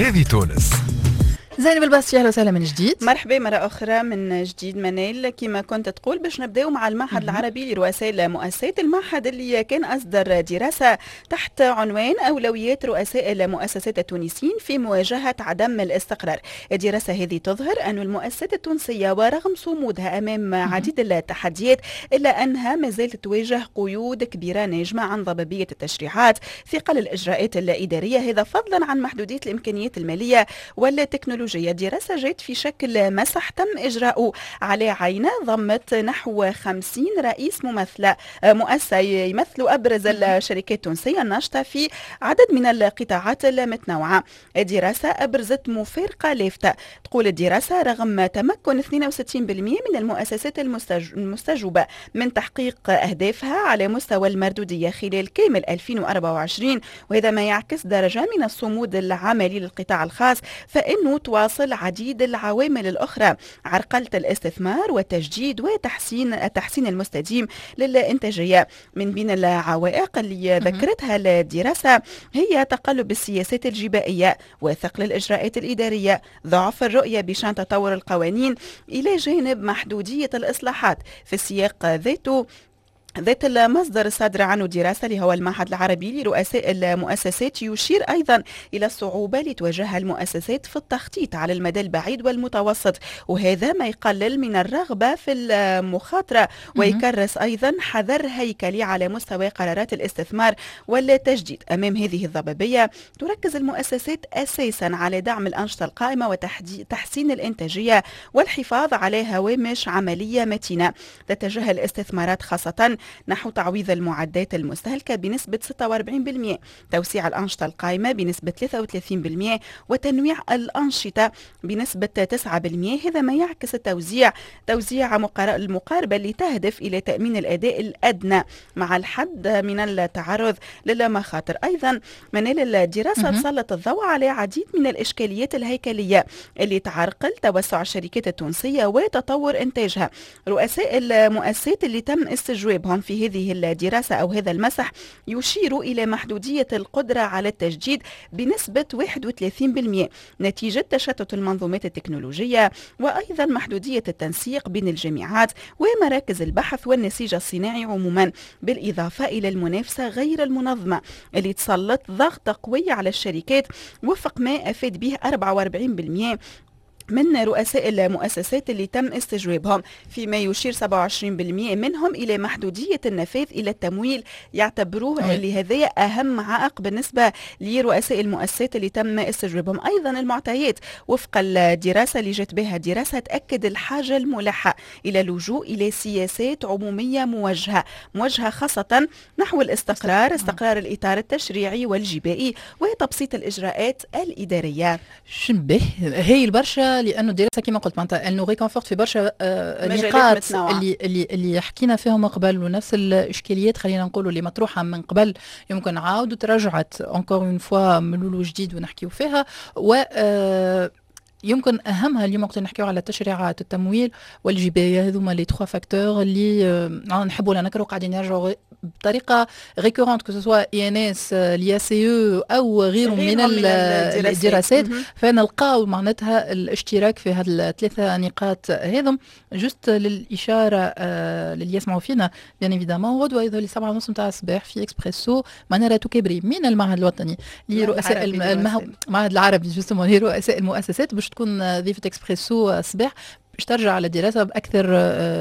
هذه تونس. زينب الباسي، اهلا وسهلا من جديد. مرحبا مرة أخرى من جديد منال. كما كنت تقول، باش نبداو مع المعهد العربي لرؤساء المؤسسات، المعهد اللي كان أصدر دراسة تحت عنوان أولويات رؤساء المؤسسات التونسيين في مواجهة عدم الاستقرار. الدراسة هذه تظهر أن المؤسسات التونسية ورغم صمودها أمام عديد التحديات، إلا أنها ما زالت تواجه قيود كبيرة ناجمة عن ضبابية التشريعات، ثقل الإجراءات الإدارية، هذا فضلا عن محدودية الإمكانيات المالية والتكنولوجية. الدراسة جات في شكل مسح تم إجراؤه على عينة ضمت نحو 50 رئيس ممثلة مؤسسة يمثلوا أبرز الشركات التونسية الناشطة في عدد من القطاعات المتنوعة. الدراسة أبرزت مفارقة لافتة. تقول الدراسة رغم تمكن 62% من المؤسسات المستجوبة من تحقيق أهدافها على مستوى المردودية خلال كامل 2024، وهذا ما يعكس درجة من الصمود العملي للقطاع الخاص، فإنه تواصل عديد العوامل الأخرى عرقلة الاستثمار والتجديد وتحسين التحسين المستديم للإنتاجية. من بين العوائق اللي ذكرتها الدراسة هي تقلب السياسات الجبائية وثقل الإجراءات الإدارية، ضعف الرؤية بشأن تطور القوانين، إلى جانب محدودية الإصلاحات. في السياق ذاته، ذات المصدر الصادر عنه دراسة اللي هو المعهد العربي لرؤساء المؤسسات يشير أيضا إلى الصعوبة اللي تواجهها المؤسسات في التخطيط على المدى البعيد والمتوسط، وهذا ما يقلل من الرغبة في المخاطرة ويكرس أيضا حذر هيكلي على مستوى قرارات الاستثمار والتجديد. أمام هذه الضبابية، تركز المؤسسات أساسا على دعم الأنشطة القائمة وتحسين الإنتاجية والحفاظ على هوامش عملية متينة. تتجه الاستثمارات خاصة نحو تعويض المعدات المستهلكة بنسبة 46%، توسيع الأنشطة القائمة بنسبة 33%، وتنويع الأنشطة بنسبة 9%. هذا ما يعكس التوزيع توزيع المقاربة اللي تهدف إلى تأمين الأداء الأدنى مع الحد من التعرض للمخاطر. أيضا منال، الدراسة تسلط الضوء على عديد من الإشكاليات الهيكلية اللي تعرقل توسع الشركات التونسية وتطور إنتاجها. رؤساء المؤسسات اللي تم استجوابهم في هذه الدراسة أو هذا المسح يشير إلى محدودية القدرة على التجديد بنسبة 31% نتيجة تشتت المنظومات التكنولوجية، وأيضا محدودية التنسيق بين الجامعات ومراكز البحث والنسيج الصناعي عموما، بالإضافة إلى المنافسة غير المنظمة اللي تسلط ضغط قوي على الشركات، وفق ما أفاد به 44% من رؤساء المؤسسات اللي تم استجوابهم، فيما يشير 27% منهم إلى محدودية النفاذ إلى التمويل، يعتبروه اللي هذا أهم عائق بالنسبة لرؤساء المؤسسات اللي تم استجوابهم. أيضا المعطيات وفق الدراسة اللي جت بها دراسة تأكد الحاجة الملحة إلى اللجوء إلى سياسات عمومية موجهة خاصة نحو الاستقرار، استقرار الإطار التشريعي والجبائي وتبسيط الإجراءات الإدارية. شنبه هي برشا، لانه الدراسة كما قلت معناتها elle nous réconforte في برشا نقاط اللي حكينا فيهم قبل، ونفس الاشكاليات خلينا نقولوا اللي مطروحة من قبل يمكن عاودوا ترجعت encore une fois من جديد ونحكيو فيها. و يمكن اهمها اليوم وقت نحكيو على تشريعات التمويل والجبايه، هذوما les trois facteurs اللي نحبوا ولا نكرهوا قاعدين يرجعوا بطريقة récurrente، que ce soit INS، l'IACE او غيره من الدراسات، فنلقاو معناتها الاشتراك في هذه الثلاثة نقاط هذم. juste للاشاره، للي يسمعوا فينا bien évidemment، غدوه يظهر 7:30 نتاع الصباح في اكسبريسو منارة توكابري من المعهد الوطني لرؤساء المعهد العربي justement لرؤساء المؤسسات باش تكون ضيفة اكسبريسو الصباح، باش ترجع على الدراسة باكثر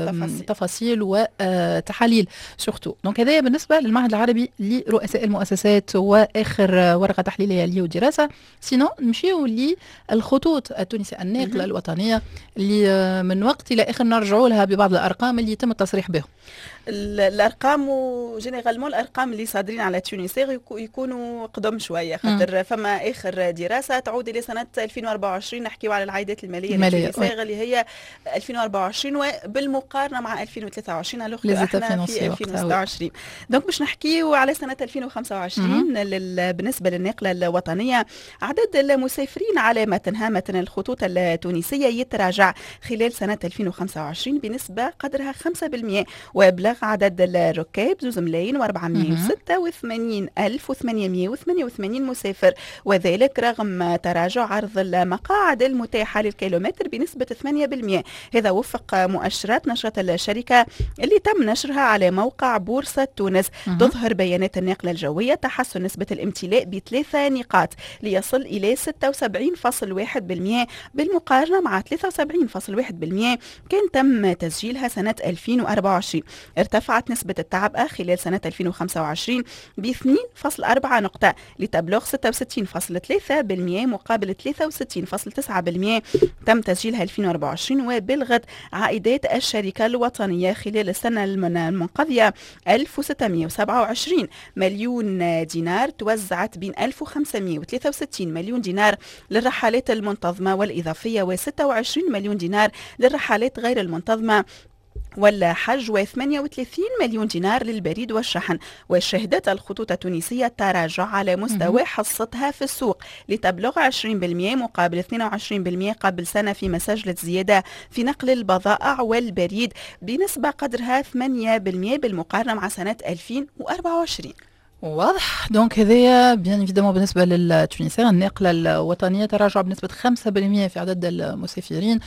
تفاصيل, تفاصيل وتحاليل surtout. donc هذايا بالنسبة للمعهد العربي لرؤساء المؤسسات واخر ورقة تحليلية اللي دراسه. sinon نمشيو للخطوط التونسية الناقله الوطنية اللي من وقت الى اخر نرجعوا لها ببعض الارقام اللي يتم التصريح بهم. الارقام و généralement الارقام اللي صادرين على Tunisair يكونوا قدم شويه، خاطر فما اخر دراسة تعود الى سنة 2024. نحكيو على العائدات المالية ل Tunisair اللي هي 2024 وبالمقارنه مع 2023، alors احنا في 2026. donc باش نحكيو على سنة 2025. بالنسبة للناقله الوطنيه، عدد المسافرين على متنها، متن الخطوط التونسيه، يتراجع خلال سنة 2025 بنسبة قدرها 5%، وبلغ عدد الركاب 2 ملايين و486 ألف و888 مسافر، وذلك رغم تراجع عرض المقاعد المتاحة للكيلومتر بنسبة 8%، هذا وفق مؤشرات نشرة الشركة اللي تم نشرها على موقع بورصة تونس. تظهر بيانات الناقلة الجوية تحسن نسبة الامتلاء بثلاثة نقاط ليصل إلى 76.1% بالمقارنة مع 73.1% كان تم تسجيلها سنة 2024. ارتفعت نسبة التعبئة خلال سنة 2025 ب 2.4 نقطة لتبلغ 66.3% مقابل 63.9% تم تسجيلها 2024. وبلغت عائدات الشركة الوطنية خلال السنة المنقضية 1627 مليون دينار، توزعت بين 1563 مليون دينار للرحلات المنتظمة والإضافية و26 مليون دينار للرحلات غير المنتظمة والحج و38 مليون دينار للبريد والشحن. وشهدت الخطوط التونسية تراجع على مستوى حصتها في السوق لتبلغ 20% مقابل 22% قبل سنة، فيما سجلت زيادة في نقل البضائع والبريد بنسبة قدرها 8% بالمقارنة مع سنة 2024. واضح. donc هذايا bien évidemment بالنسبة لل Tunisair، الناقله الوطنيه، تراجع بنسبة 5% في عدد المسافرين.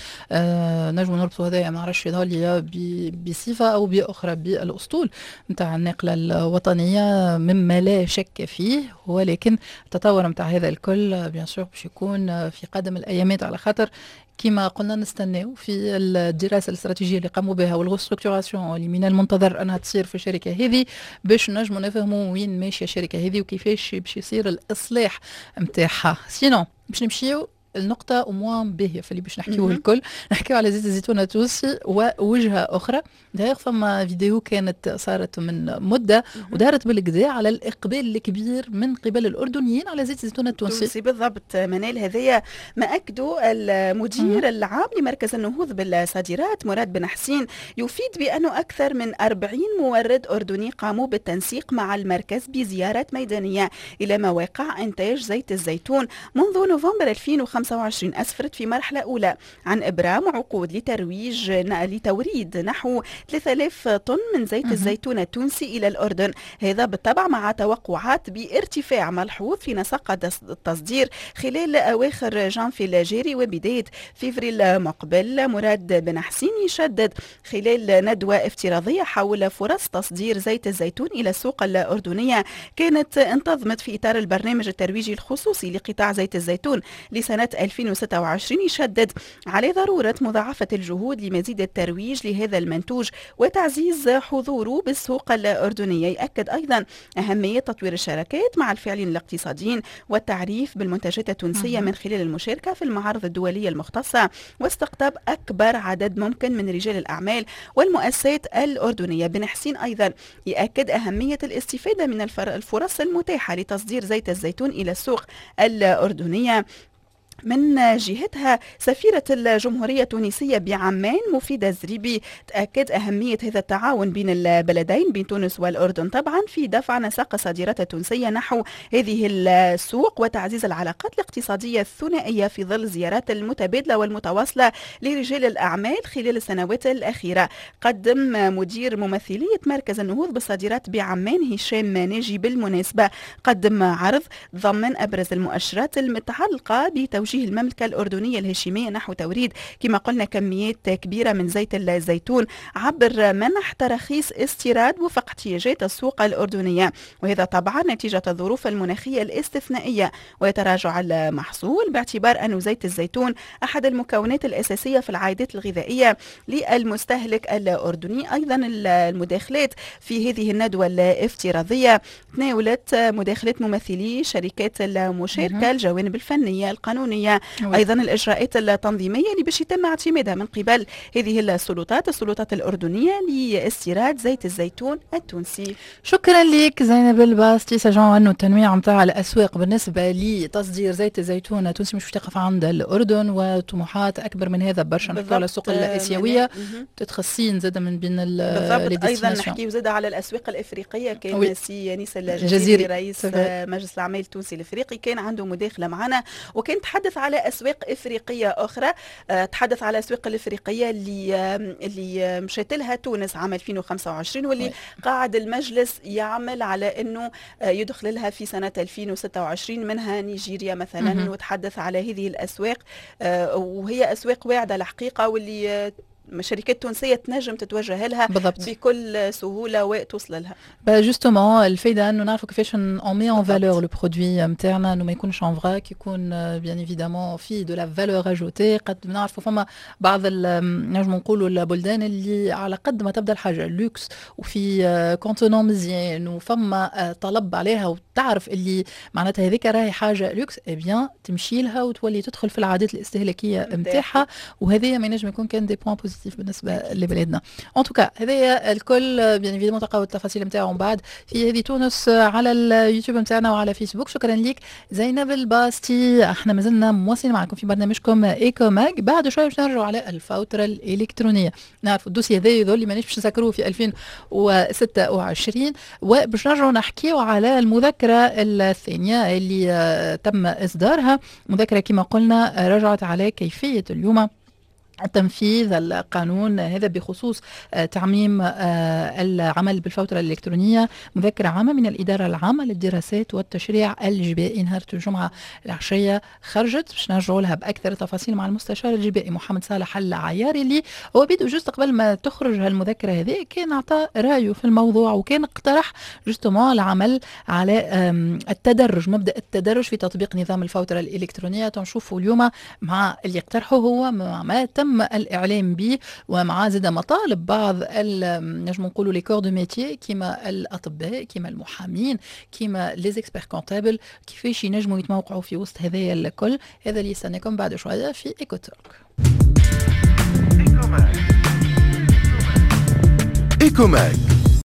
نجم نربطوا هذايا، ما نعرفش، يظهر لي بصفة او باخرى بالاسطول نتاع الناقله الوطنيه، مما لا شك فيه، ولكن التطور نتاع هذا الكل bien sûr باش يكون في قادم الايامات، على خاطر كما قلنا نستناو في الدراسة الاستراتيجية اللي قاموا بها وال restructuration اللي من المنتظر انها تصير في الشركة هذه، باش نجموا نفهموا وين ماشية الشركة هذه وكيفاش باش يصير الاصلاح نتاعها. sinon باش نمشيو النقطة au moins باهية في اللي باش نحكيوه الكل، نحكيو على زيت الزيتون التونسي ووجهة أخرى. d'ailleurs فما فيديو كانت صارت من مدة ودارت بالقدا على الإقبال الكبير من قبل الأردنيين على زيت الزيتون التونسي. التونسي بالضبط منال، هذايا ما أكدوا المدير العام لمركز النهوض بالصادرات مراد بن حسين، يفيد بأنه أكثر من 40 مورد أردني قاموا بالتنسيق مع المركز بزيارات ميدانية إلى مواقع إنتاج زيت الزيتون منذ نوفمبر 2025، أسفرت في مرحلة أولى عن إبرام عقود لتوريد نحو 3000 طن من زيت الزيتون التونسي إلى الأردن، هذا بالطبع مع توقعات بارتفاع ملحوظ في نسق التصدير خلال أواخر جانفي الجاري وبداية فيفري المقبل. مراد بن حسين يشدد خلال ندوة افتراضية حول فرص تصدير زيت الزيتون إلى السوق الأردنية كانت انتظمت في إطار البرنامج الترويجي الخصوصي لقطاع زيت الزيتون لسنة 2026، يشدد على ضرورة مضاعفة الجهود لمزيد الترويج لهذا المنتوج وتعزيز حضوره بالسوق الأردنية. يأكد أيضا أهمية تطوير الشراكات مع الفاعلين الاقتصاديين والتعريف بالمنتجات التونسية من خلال المشاركة في المعارض الدولية المختصة واستقطاب أكبر عدد ممكن من رجال الأعمال والمؤسسات الأردنية. بن حسين أيضا يأكد أهمية الاستفادة من الفرص المتاحة لتصدير زيت الزيتون إلى السوق الأردنية. من جهتها، سفيرة الجمهورية التونسية بعمان مفيدة الزريبي تأكد أهمية هذا التعاون بين البلدين، بين تونس والأردن طبعا، في دفع نسق الصادرات التونسية نحو هذه السوق وتعزيز العلاقات الاقتصادية الثنائية في ظل الزيارات المتبادلة والمتواصلة لرجال الأعمال خلال السنوات الأخيرة. قدم مدير ممثلية مركز النهوض بالصادرات بعمان هشام ناجي بالمناسبة قدم عرض ضمن أبرز المؤشرات المتعلقة بتوجيه المملكة الأردنية الهاشمية نحو توريد، كما قلنا، كميات كبيرة من زيت الزيتون عبر منح تراخيص استيراد وفق احتياجات السوق الأردنية، وهذا طبعا نتيجة الظروف المناخية الاستثنائية وتراجع المحصول، باعتبار أن زيت الزيتون أحد المكونات الأساسية في العادات الغذائية للمستهلك الأردني. أيضا المداخلات في هذه الندوة الافتراضية تناولت مداخلات ممثلي شركات المشاركة الجوانب الفنية القانونية. الإلكترونية. أيضا الإجراءات التنظيمية اللي باش يتم اعتمادها من قبل هذه السلطات الأردنية لاستيراد زيت الزيتون التونسي. شكرا لك زينب الباستي. sachant أنه التنويع نتاع الأسواق بالنسبة لتصدير زيت الزيتون التونسي مش تقف عند الأردن، وطموحات أكبر من هذا برشا. نحكيو على السوق الآسيوية، الصين زاد من بين. بالضبط. أيضا نحكيو زاد على الأسواق الإفريقية. كان سي أنيس الجزيري رئيس مجلس الأعمال التونسي الإفريقي كان عنده مداخلة معنا، وكان تحدث على أسواق إفريقية أخرى، تحدث على الأسواق الإفريقية اللي مشات لها تونس عام 2025، واللي قاعد المجلس يعمل على أنه يدخل لها في سنة 2026، منها نيجيريا مثلا. وتحدث على هذه الأسواق، وهي أسواق واعدة الحقيقة، واللي شركات تونسية تنجم تتوجه لها بالضبط بكل سهولة وتوصل لها. justement الفايدة انه نعرفوا كيفاش on met en valeur le produit نتاعنا، انه ما يكونش en vrac، يكون bien évidemment فيه de la valeur ajoutée. قد نعرفوا فما بعض نجم نقولوا البلدان اللي على قد ما تبدا الحاجة لوكس وفي contenant مزيان وفما طلب عليها، وتعرف اللي معناتها هذيك راهي حاجة luxe، eh bien تمشي لها وتولي تدخل في العادات الاستهلاكية نتاعها، وهذه ما ينجم يكون كان des points positifs بالنسبة لبلادنا. en tout cas هذايا الكل bien évidemment تلقاو التفاصيل نتاعو من بعد في هذه تونس على اليوتيوب نتاعنا وعلى فيسبوك. شكرا لك زينب الباستي. احنا مازلنا مواصلين معكم في برنامجكم Eco Mag. بعد شوية باش نرجعوا على الفوتره الالكترونية. نعرفوا ال dossier هذا يظل مانيش باش نسكروه في 2026، وباش نرجعوا نحكيو على المذكرة الثانية اللي تم اصدارها. مذكره كما قلنا رجعت على كيفية اليوم تنفيذ القانون هذا بخصوص تعميم العمل بالفوترة الإلكترونية. مذكرة عامة من الإدارة العامة للدراسات والتشريع الجبائي نهار الجمعة العشية خرجت، باش نرجعوا لها بأكثر تفاصيل مع المستشار الجبائي محمد صالح العياري، اللي هو بيدو juste قبل ما تخرج هالمذكرة هذه كان أعطى رأيه في الموضوع، وكان اقترح justement العمل على التدرج، مبدأ التدرج في تطبيق نظام الفوترة الإلكترونية. نشوفوا اليوم مع اللي اقترحه هو، مع ما تم الإعلام به، ومع زاد مطالب بعض نجم نقولوا les corps de métier، كيما الأطباء، كيما المحامين، كيما les experts comptables، كيفاش ينجموا يتموقعوا في وسط هذايا الكل. هذا اللي يستناكم بعد شوية في Eco Talk. Eco Mag.